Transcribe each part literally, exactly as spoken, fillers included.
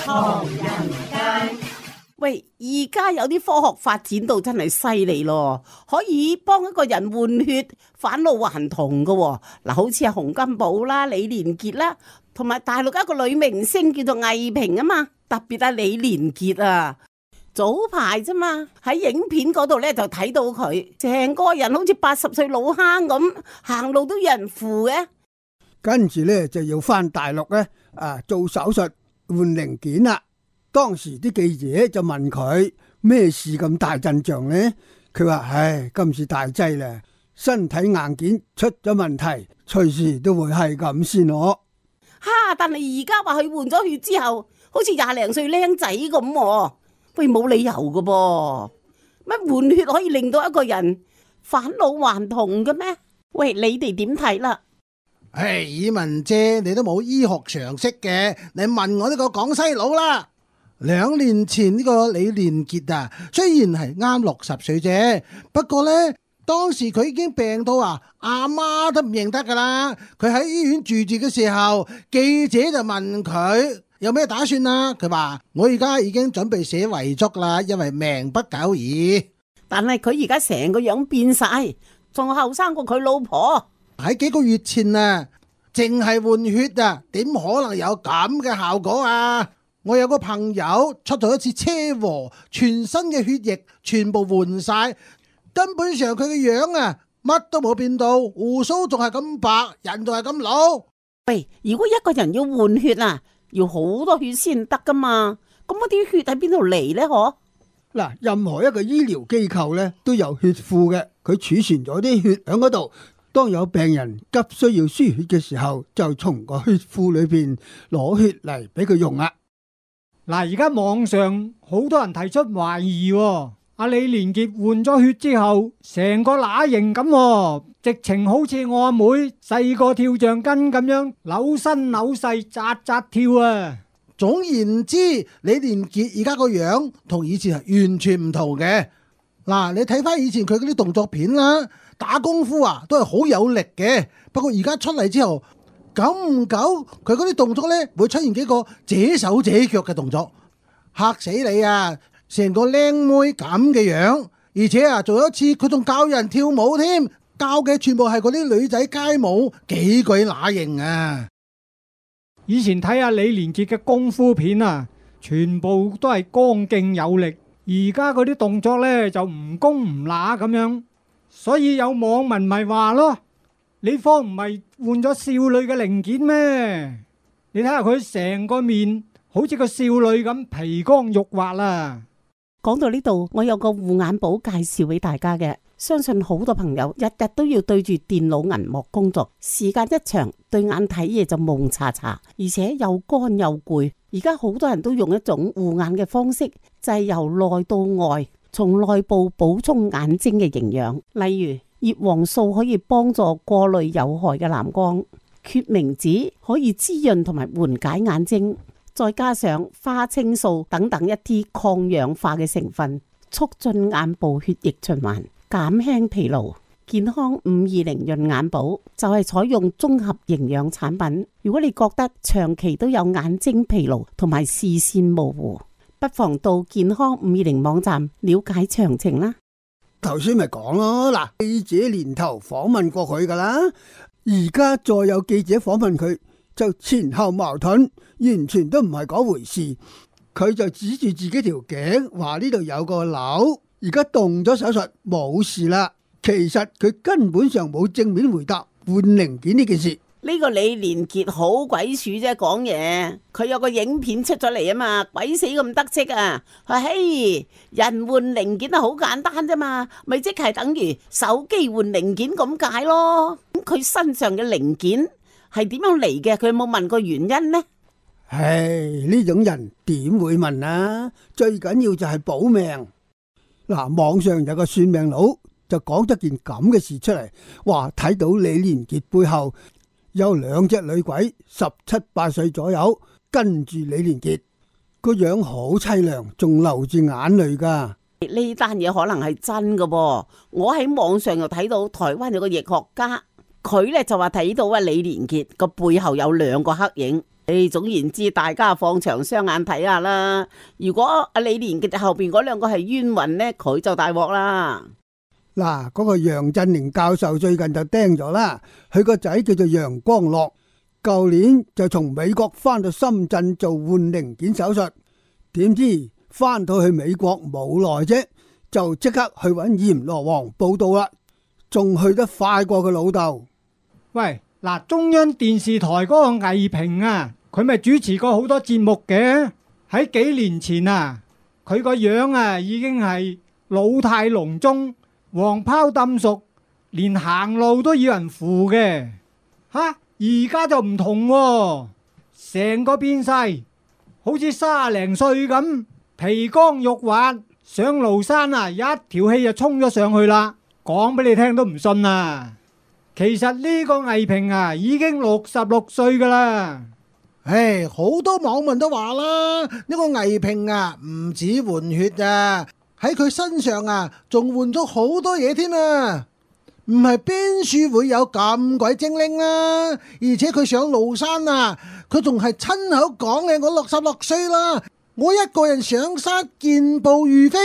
唐人街。喂，而家有啲科學發展到真係犀利咯，可以幫一個人換血返老還童噶。嗱，好似係洪金寶啦、李連杰啦，同埋大陸一個女明星叫做魏萍啊嘛，特別係李連杰啊。早排啫嘛，喺影片嗰度咧就睇到佢成個人好似八十歲老坑咁，行路都有人扶嘅。跟住咧就要翻大陸咧啊做手術換零件啦。當時啲記者就問佢咩事咁大陣仗呢？佢話：唉，今次大劑啦，身體硬件出咗問題，隨時都會係咁先咯。哈！但係而家話佢換咗血之後，好似廿零歲僆仔咁，喂，冇理由噶噃，乜換血可以令到一個人返老還童嘅咩？喂，你哋點睇啦？唉，以文姐，你都冇醫學常識嘅，你問我呢個廣西佬啦。兩年前呢個李連杰啊，雖然係啱六十歲啫，不過呢，當時佢已經病到啊，阿媽都唔認得噶啦。佢喺醫院住住嘅時候，記者就問佢有咩打算啊？佢話：我而家已經準備寫遺囑啦，因為命不久矣。但係佢而家成個樣變晒，仲後生過佢老婆。喺幾個月前啊，淨係換血啊，點可能有咁嘅效果啊？我有個朋友出咗一次車禍，全身嘅血液全部換晒，根本上佢嘅樣啊乜都冇變到，鬍鬚仲係咁白，人仲係咁老。喂，如果一個人要換血啊，要好多血先得噶嘛？咁嗰啲血喺邊度嚟呢？嗬？嗱，任何一個醫療機構咧都有血庫嘅，佢儲存咗啲血喺嗰度。當有病人急需要輸血嘅時候，就從個血庫裏邊攞血嚟俾佢用啦。嗱，而家網上好多人提出懷疑，阿李連杰換咗血之後，成個乸型咁，直情好似我阿妹細個跳橡筋咁樣扭身扭勢扎扎跳啊！總言之，李連杰而家個樣同以前係完全唔同嘅。嗱，你睇翻以前佢嗰啲動作片啦，打功夫啊都係好有力嘅。不過而家出嚟之後，久唔久佢嗰啲動作呢會出現幾個這手這腳嘅動作，嚇死你啊！成個靚妹咁嘅樣，而且啊，仲有一次佢仲教人跳舞添，教嘅全部係嗰啲女仔街舞，幾鬼乸型啊！以前睇下李連杰嘅功夫片啊，全部都係剛勁有力，而家嗰啲動作呢就唔攻唔乸咁樣，所以有網民咪話咯：你方唔係換咗少女嘅零件咩？你睇下佢成個面好似個少女咁皮光肉滑啦。講到呢度，我有個護眼寶介紹俾大家嘅，相信好多朋友日日都要對住電腦銀幕工作，時間一長，對眼睇嘢就蒙查查，而且又乾又攰。而家好多人都用一種護眼嘅方式，就係由內到外，從內部補充眼睛嘅營養。例如葉黃素可以幫助過濾有害嘅藍光，決明子可以滋潤同埋緩解眼睛。再加上花青素等等一啲抗氧化嘅成分，促進眼部血液循環，減輕疲勞。健康五二零潤眼寶就係採用綜合營養產品。如果你覺得長期都有眼睛疲勞同埋視線模糊，不妨到健康五二零網站了解詳情啦。頭先咪講咯，嗱，記者年頭訪問過佢噶啦，而家再有記者訪問佢，就前後矛盾，完全都唔係嗰回事。佢就指住自己條頸，話呢度有個瘤，而家動咗手術，冇事啦。其實佢根本上冇正面回答換零件呢件事。呢個李連杰好鬼鼠啫，講嘢。佢有個影片出咗嚟啊嘛，鬼死咁得戚啊！佢嘿，人換零件啊，好簡單啫嘛，咪即係等於手機換零件咁解咯。咁佢身上嘅零件係點樣嚟嘅？佢有冇問過原因呢？唉，呢種人點會問啊？最緊要就係保命。嗱，網上有個算命佬就講咗件咁嘅事出嚟，話睇到李連杰背後有兩隻女鬼，十七八歲左右，跟住李連杰，個樣好淒涼，仲流住眼淚噶。呢單嘢可能係真噶噃，我喺網上又睇到台灣有個易學家，佢咧就話睇到啊李連杰個背後有兩個黑影，誒，總言之，大家放長雙眼睇下啦。如果阿李連杰後邊嗰兩個係冤魂呢，佢就大鑊啦。嗱，嗰個楊振寧教授最近就釘咗啦，佢個仔叫做楊光樂，舊年就從美國翻到深圳做換零件手術，點知翻到去美國冇耐啫，就即刻去揾閻羅王報到啦，仲去得快過佢老豆。喂，嗱，中央電視台嗰個魏平啊，佢咪主持過好多節目嘅。喺幾年前啊，佢個樣啊已經係老態龍鍾，黃泡抌熟，連行路都要人扶嘅。吓，而家就唔同喎，成個變晒，好似卅零歲咁，皮光肉滑，上廬山啊，一條氣就衝咗上去啦。講俾你聽都唔信啊！其實呢個魏平啊，已經六十六歲噶啦。唉，好多網民都話啦，呢個魏平啊，唔止換血啊，喺佢身上啊，仲換咗好多嘢添啊！唔係邊處會有咁鬼精靈啦？而且佢上廬山啊，佢仲係親口講嘅，我六十六歲啦，我一個人上山健步如飛，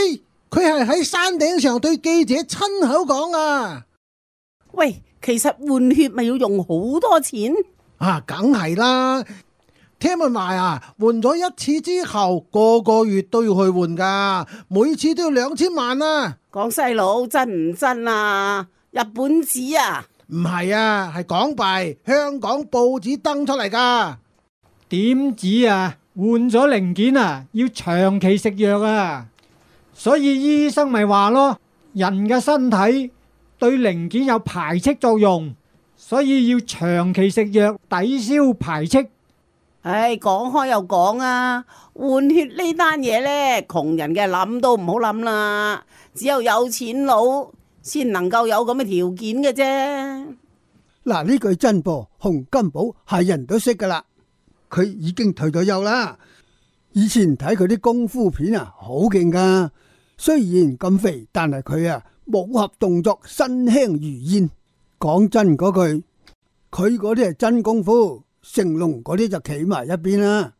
佢係喺山頂上對記者親口講啊！喂，其實換血咪要用好多錢啊，梗係啦。聽聞話啊，換咗一次之後，個個月都要去換噶，每次都要兩千萬啊！講細佬真唔真啊？日本紙啊？唔係啊，係港幣，香港報紙登出嚟噶。點止啊？換咗零件啊，要長期食藥啊，所以醫生咪話咯，人嘅身體對零件有排斥作用，所以要長期食藥抵消排斥。唉，講開又講啊，換血呢單嘢呢，窮人嘅諗都唔好諗啦，只有有錢佬先能夠有咁嘅條件嘅啫。嗱，呢句真噃，洪金寶係人都識噶啦，佢已經退咗休啦。以前睇佢啲功夫片啊，好勁噶，雖然咁肥，但係佢啊武俠動作身輕如燕。講真嗰句，佢嗰啲係真功夫。成龍嗰啲就企埋一邊啦。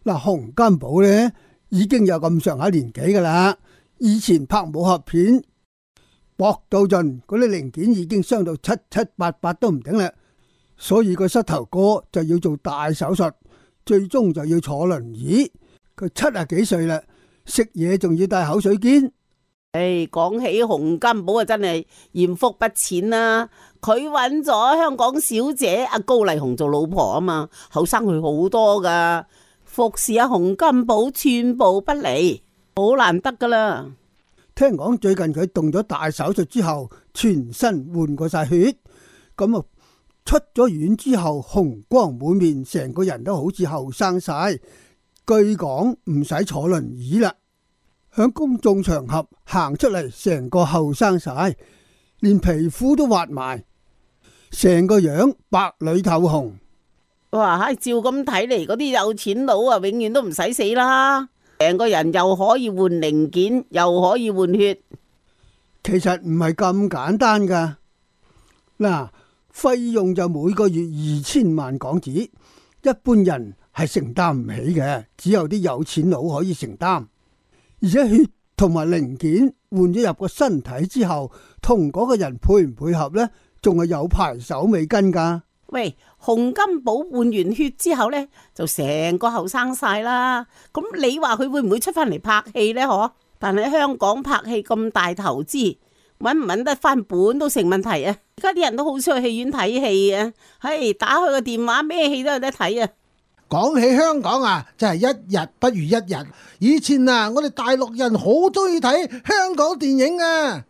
嗱，洪金寶呢已經有咁上下年紀噶啦，以前拍武俠片搏到盡，嗰啲零件已經傷到七七八八都唔頂啦，所以個膝頭哥就要做大手術，最終就要坐輪椅。佢七啊幾歲啦，食嘢仲要帶口水肩。誒，講起洪金寶啊，真係艷福不淺啦！佢揾咗香港小姐阿高麗紅做老婆啊嘛，後生佢好多噶，服侍阿洪金寶寸步不離，好難得噶啦。聽講最近佢動咗大手術之後，全身換過晒血，咁啊出咗院之後，紅光滿面，成個人都好似後生晒。據講唔使坐輪椅啦。響公眾場合行出嚟，成個後生晒，連皮膚都滑埋，成個樣白裏透紅。哇！照咁睇嚟，嗰啲有錢佬啊，永遠都唔使死啦，成個人又可以換零件，又可以換血。其實唔係咁簡單噶。嗱，費用就每個月二千萬港紙，一般人係承擔唔起嘅，只有啲有錢佬可以承擔。而且血同埋零件換咗入個身體之後，同嗰個人配唔配合呢？仲係有排手尾跟噶。喂，洪金寶換完血之後呢，就成個後生晒啦。咁你話佢會唔會出翻嚟拍戲呢？嗬？但係香港拍戲咁大投資，搵唔搵得翻本都成問題啊！而家啲人都好少去戲院睇戲啊。嘿，打開個電話，咩戲都有得睇啊！講起香港啊，真係一日不如一日。以前啊，我哋大陸人好中意睇香港電影啊。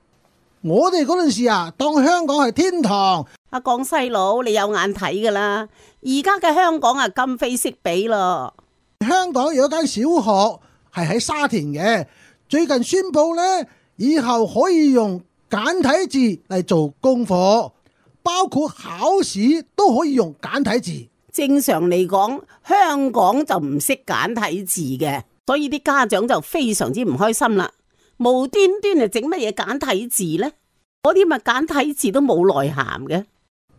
我哋嗰陣時啊，當香港係天堂。阿江西佬，你有眼睇噶啦。而家嘅香港啊，今非昔比咯。香港有一間小學係喺沙田嘅，最近宣布呢，以後可以用簡體字嚟做功課，包括考試都可以用簡體字。正常嚟講，香港就唔識簡體字嘅，所以啲家長就非常之唔開心啦。無端端就整乜嘢簡體字呢？嗰啲咪簡體字都冇內涵嘅。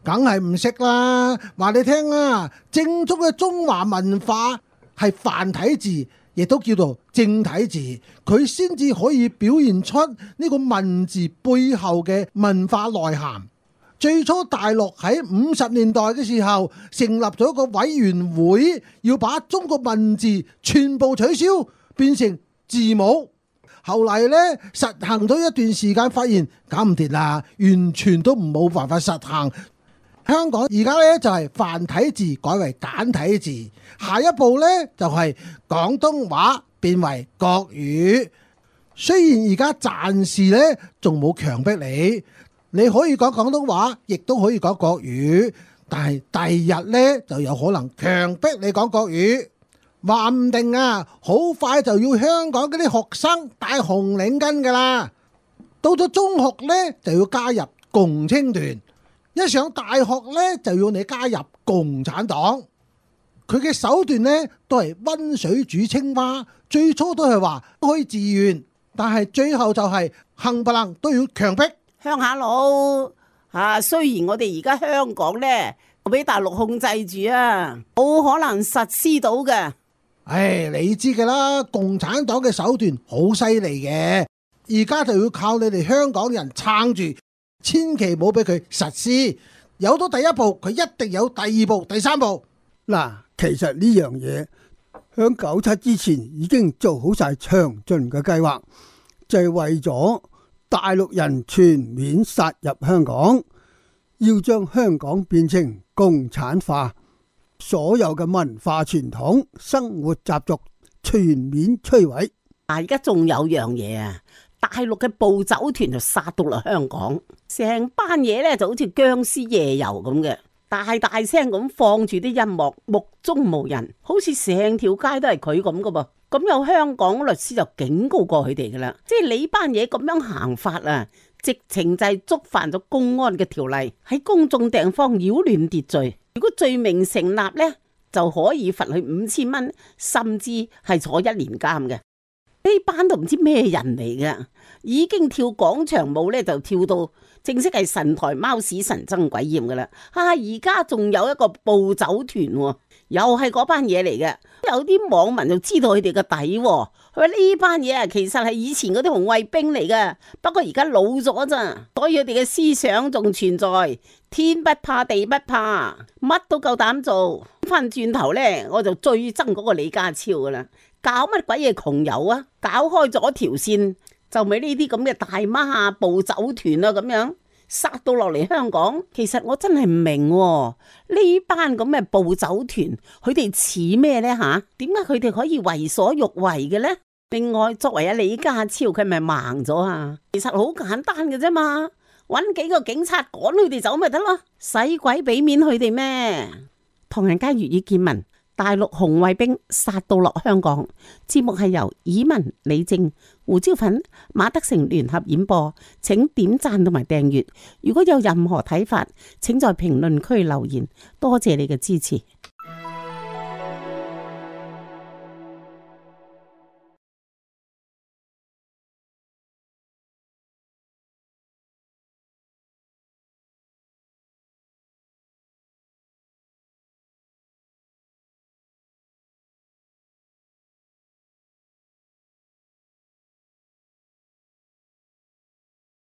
梗係唔識啦。話你聽啦，正宗嘅中華文化係繁體字，亦都叫做正體字，佢先至可以表現出呢個文字背後嘅文化內涵。最初大陸喺五十年代嘅時候成立咗一個委員會，要把中國文字全部取消，變成字母。後嚟呢，實行咗一段時間，發現搞唔掂啦，完全都唔冇辦法實行。香港而家呢，就係繁體字改為簡體字，下一步呢，就係廣東話變為國語。雖然而家暫時呢，仲冇強迫你。你可以講廣東話，亦都可以講國語，但係第二日呢就有可能強迫你講國語，話唔定啊，好快就要香港嗰啲學生戴紅領巾噶啦。到咗中學呢就要加入共青團，一上大學呢就要你加入共產黨。佢嘅手段呢都係溫水煮青蛙，最初都係話可以自願，但係最後就係冚唪唥都要強迫。鄉下佬啊，雖然我哋而家香港呢俾大陸控制住啊，冇可能實施到嘅。唉，你知㗎啦，共產黨嘅手段好犀利嘅，而家就要靠你哋香港人撐住，千祈唔好俾佢實施。有咗第一步，佢一定有第二步、第三步。嗱，其實呢樣嘢響九七之前已經做好晒詳盡嘅計劃，就係為咗大陸人全面殺入香港，要將香港變成共產化，所有嘅文化傳統、生活習俗全面摧毀。啊，而家仲有樣嘢啊，大陸嘅暴走團就殺到嚟香港，成班嘢咧就好似僵屍夜遊咁嘅，大大聲咁放住啲音樂，目中無人，好似成條街都係佢咁噶噃。咁有香港律師就警告過佢哋噶啦，即係你班嘢咁樣行法啊，直情就係觸犯咗公安嘅條例，喺公眾地方擾亂秩序。如果罪名成立呢，就可以罰佢五千蚊，甚至係坐一年監嘅。呢班都唔知咩人嚟噶，已經跳廣場舞呢，就跳到正式係神台貓屎神憎鬼厭噶啦。啊，而家仲有一個暴走團喎，又係嗰班嘢嚟嘅。有啲網民就知道佢哋個底，佢話呢班嘢啊，其實係以前嗰啲紅衛兵嚟嘅，不過而家老咗咋，所以佢哋嘅思想仲存在，天不怕地不怕，乜都夠膽做。翻轉頭呢，我就最憎嗰個李家超噶啦，搞乜鬼嘢窮遊啊？搞開咗條線，就咪呢啲咁嘅大媽啊、暴走團啊咁樣殺到落嚟香港。其實我真係唔明呢班咁嘅暴走團，佢哋似咩呢？吓？點解佢哋可以為所欲為嘅呢？另外，作為阿李家超，佢咪盲咗啊？其實好簡單嘅啫嘛，搵幾個警察趕佢哋走咪得咯，使鬼俾面佢哋咩？唐人街粵語見聞，大陸紅衛兵殺到落香港。節目係由以文、李正、胡椒粉、馬德成聯合演播，請點讚同埋訂閱。如果有任何睇法，請在評論區留言。多謝你嘅支持。